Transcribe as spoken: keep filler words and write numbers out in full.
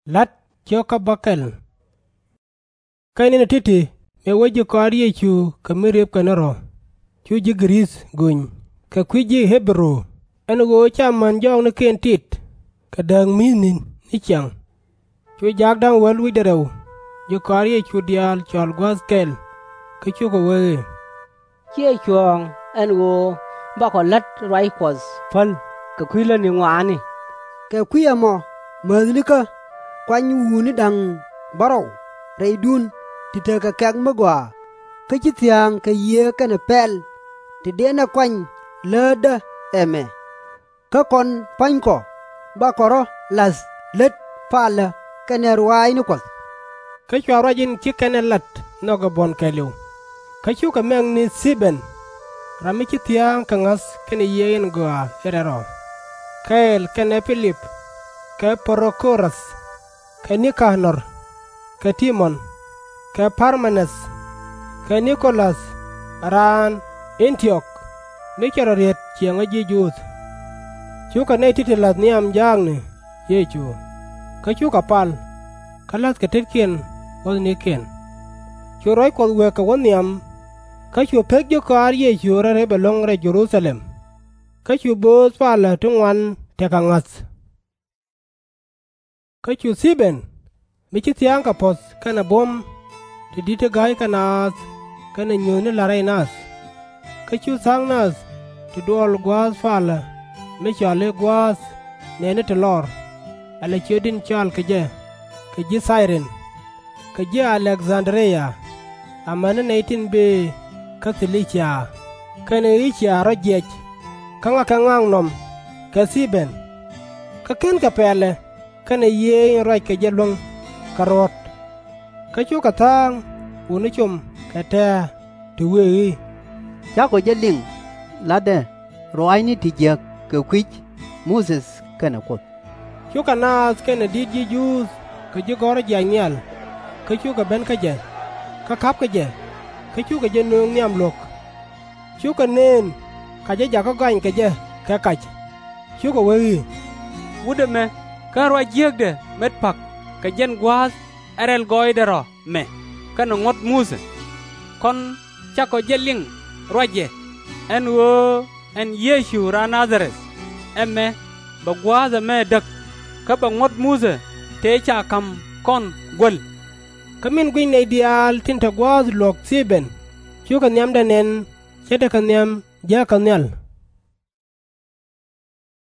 La̱t ciök kä bä kɛl. Kä ni̱n ti̱ti̱ mëë wä ji̱ kɔaar Yecu kɛ mi riepkɛ ni rɔ̱, cu ji̱ Gɛ-rith gony kɛ kui̱ ji̱ Ɣi-bɛ-ru, ɛn ɣöö ca män jɔɔknikiɛn tit kɛ dääk mi̱i̱th ni̱n ni ciaŋ. Cu jaak da̱ŋ wäl wi̱cdɛ rɛw ji̱ kɔaar Yecu diaal cɔl gua̱a̱th kɛl, kä cukɛ wee i̱, Ciɛ cuɔ̱ɔ̱ŋ ɛn ɣöö bakɔ la̱t ruac Kuɔth päl kɛ kui̱ lätni ŋɔaani. Kɛ kui̱ ɛmɔ mäthnikä kuany wutni da̱ŋ bärɔw rɛydun ti tekɛ kɛ̈k mi gɔaa, kä /ci thia̱a̱ŋ kɛ Yiëë kɛnɛ pɛl ti dënɛ kuany lätdä ɛmɛ. Kä kɔn pua̱nykɔ bakɔ rɔ̱ la̱th lät palä kɛnɛ ruaacni Kuɔth. Kä cua ruac in ci kɛn ɛ lat nhɔk ɛ buɔ̱n kɛɛliw. Kä cukɛ mɛk ni Thi-bɛn, ram mi ci thia̱a̱ŋ kɛ ŋa̱th kɛnɛ Yiëë in Gɔaa in Rɛl Rɔ, kɛɛl kɛnɛ Pi-lip, kɛ Pro-kɔ-ruth, kɛ Ni-ka-nɔr, kɛ Ti-mɔn, kɛ Par-me-nɛth, kɛ Ni-ko-lath, raan Ɛn-ti-ɔk, mi cɛ rɔ riet ciɛŋä ji̱ Juudh. Cukɛ nɛy ti̱ti̱ la̱th nhiam jaakni Yecu, kä cukɛ pal, kä la̱thkɛ tetkiɛn wuɔ̱thnikiɛn. Cu ruac Kuɔth wëë kɛ wä nhiam, kä cu pek ji̱ kɔaar Yecu rɔ rep ɛlɔ̱ŋ rɛy Jɛ-ru-tha-lɛm, kä cu bööth palä ti ŋuan tekɛ ŋa̱th. Kä cu Thi-bɛn, mi ci thia̱a̱ŋ kɛ puɔ̱th kɛnɛ buɔ̱m, ti di̱t ti ga̱ykɛ naath kɛnɛ nyuuthni la̱t rɛy nath, kä cu tha̱a̱ŋ nath ti duɔl gua̱a̱th palä mi cɔal i̱ Gua̱a̱th Nɛɛni ti Lɔr, ala ciöt in cɔal kɛ jɛ kɛ ji̱ Thay-rin, kɛ ji̱ Alɛk-dhan-dri-ya, amäni nɛy tin bëë kä Thi-li-cia kɛnɛ Ɛ-ci-ya rɔ̱ jiɛc, kä ŋakɛ ŋaknɔm kɛ Thi-bɛn. Kä /kenkɛ pɛlɛ kɛnɛ Yiëë in ruackɛ jɛ luäŋ kɛ ruɔ̱t. Kä cukɛ tha̱a̱ŋ wutni com kɛ tɛ̱̈ɛ̱̈, ti wëë i̱, Cakɔ jɛ liŋ la̱tdɛ ruaacni ti jiäk kɛ kui̱c Muthɛ kɛnɛ Kuoth. Cukɛ naath kɛnɛ di̱t ji̱ Juudh kɛ ji̱ gɔ̱rä jiac nhial, kä cukɛ ben kä jɛ, kä ka̱pkɛ jɛ, kä cukɛ jɛ nööŋ nhiam luɔ̱k. Cukɛ nëën ka jɛ jakä gɔany kɛ jɛ kɛ kac, cukɛ wee i̱, Wut ɛmɛ /ken ruac jiäkdɛ met pa̱k kɛ jɛn gua̱a̱th ɛ rɛl gɔɔydɛ rɔ mɛ kɛnɛ ŋuɔ̱t Muthɛ. Kɔn cakɔ jɛ liŋ ruacɛ ɛn ɣöö ɛn Yecu raan Na-dha-rɛth ɛmɛ bɛ gua̱a̱th ɛmɛ däk, kä bɛ ŋuɔ̱t Muthɛ tëë ca ka̱m kɔn guäl. Kä min guic nɛy diaal tin te gua̱a̱th luɔ̱k Thi-bɛn, cukɛ nhiamdɛ nɛn ce̱tkɛ nhiam jääkä nhial.